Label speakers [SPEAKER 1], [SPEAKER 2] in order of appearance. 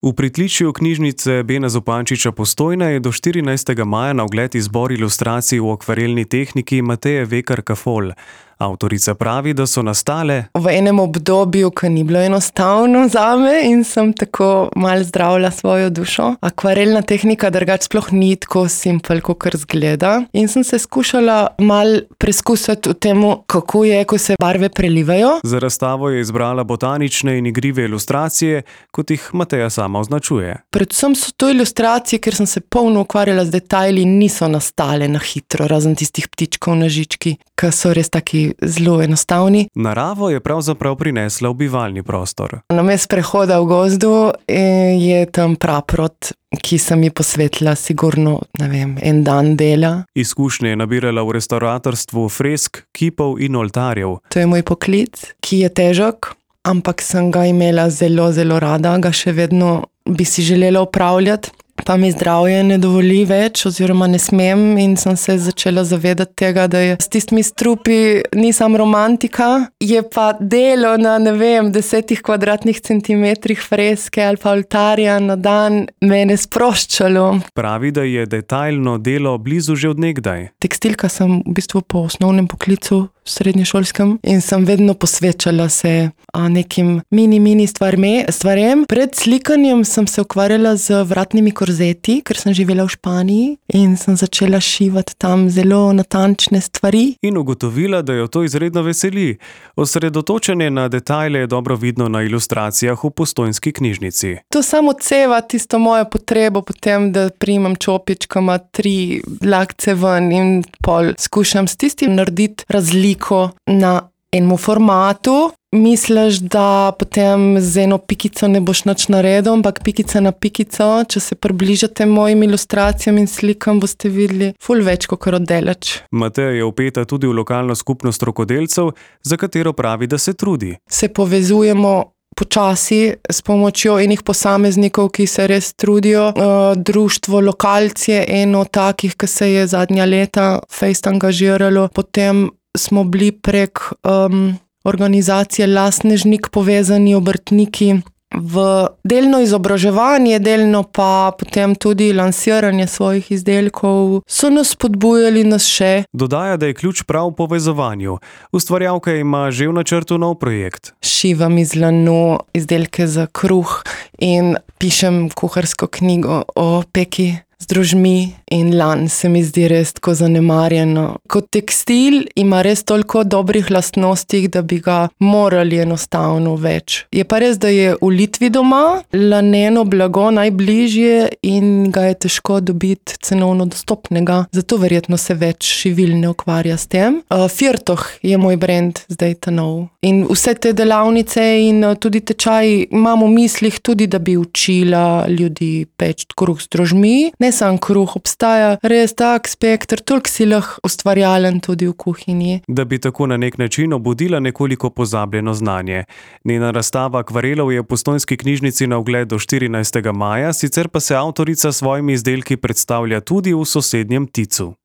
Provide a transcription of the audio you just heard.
[SPEAKER 1] V pritličju knjižnice Bena Zupančiča Postojna je do 14. maja na ogled izbor ilustracij v akvarelni tehniki Mateje Vekar Kafol. Avtorica pravi, da so nastale
[SPEAKER 2] v enem obdobju, ki ni bilo enostavno zame in sem tako malo zdravila svojo dušo. Akvarelna tehnika drugače sploh ni tako simpel, kakor izgleda. In sem se skušala malo preskusiti v tem, kako je, ko se barve prelivajo.
[SPEAKER 1] Za razstavo je izbrala botanične in igrive ilustracije, kot jih Mateja sama označuje.
[SPEAKER 2] Predvsem so to ilustracije, ker sem se polno ukvarjala z detajli in niso nastale na hitro, razen tistih ptičkov na žički, ki so res taki zelo enostavni.
[SPEAKER 1] Naravo je pravzaprav prinesla v bivalni prostor.
[SPEAKER 2] Namesto prehoda v gozdu je tam praprot, ki sem ji posvetila sigurno, en dan dela.
[SPEAKER 1] Izkušnje je nabirala v restavratorstvu fresk, kipov in oltarjev.
[SPEAKER 2] To je moj poklic, ki je težek, ampak sem ga imela zelo, zelo rada, ga še vedno bi si želela opravljati. Pa mi zdravje ne dovoli več oziroma ne smem in sem se začela zavedati tega, da je s tistimi strupi nisem romantika, je pa delo na 10 kvadratnih centimetrih freske ali pa oltarja na dan mene sproščalo.
[SPEAKER 1] Pravi, da je detajlno delo blizu že od nekdaj.
[SPEAKER 2] Tekstilka sem v bistvu po osnovnem poklicu srednješolskem in sem vedno posvečala se nekim mini stvarem. Pred slikanjem sem se ukvarjala z vratnimi korzeti, ker sem živela v Španiji in sem začela šivati tam zelo natančne stvari.
[SPEAKER 1] In ugotovila, da jo to izredno veseli. Osredotočenje na detajle je dobro vidno na ilustracijah v Postojnski knjižnici.
[SPEAKER 2] To samo odseva tisto mojo potrebo potem, da primam čopičkama 3 dlakce ven in pol skušam s tistim narediti razliko na enem formatu. Misliš, da potem z eno pikico ne boš nič naredil, ampak pikica na pikico, če se približate mojim ilustracijam in slikam, boste videli ful več kakor oddaleč.
[SPEAKER 1] Mateja je vpeta tudi v lokalno skupnost rokodelcev, za katero pravi, da se trudi.
[SPEAKER 2] Se povezujemo počasi s pomočjo enih posameznikov, ki se res trudijo. Društvo Lokalc je eno takih, ki se je zadnja leta fejst angažiralo. Potem smo bili prek organizacije Lasnežnik povezani obrtniki v delno izobraževanje, delno pa potem tudi lansiranje svojih izdelkov. So nas spodbujali nas še.
[SPEAKER 1] Dodaja, da je ključ prav v povezovanju. Ustvarjalka ima že v načrtu nov projekt.
[SPEAKER 2] Šivam iz lanu izdelke za kruh in pišem kuharsko knjigo o peki z drožmi in lan se mi zdi res tako zanemarjeno. Kot tekstil ima res toliko dobrih lastnosti, da bi ga morali enostavno več. Je pa res, da je v Litvi doma laneno blago najbližje in ga je težko dobiti cenovno dostopnega. Zato verjetno se več šivil ne ukvarja s tem. Firtoh je moj brand zdaj ta nov. In vse te delavnice in tudi tečaji imam v mislih tudi, da bi učila ljudi peči kruh z drožmi. Ne samo kruh, obstaja res tak spekter, toliko si lahko ustvarjalen tudi v kuhinji.
[SPEAKER 1] Da bi tako na nek način obudila nekoliko pozabljeno znanje. Njena razstava akvarelov je v Postojnski knjižnici na ogled do 14. maja, sicer pa se avtorica s svojimi izdelki predstavlja tudi v sosednjem Ticu.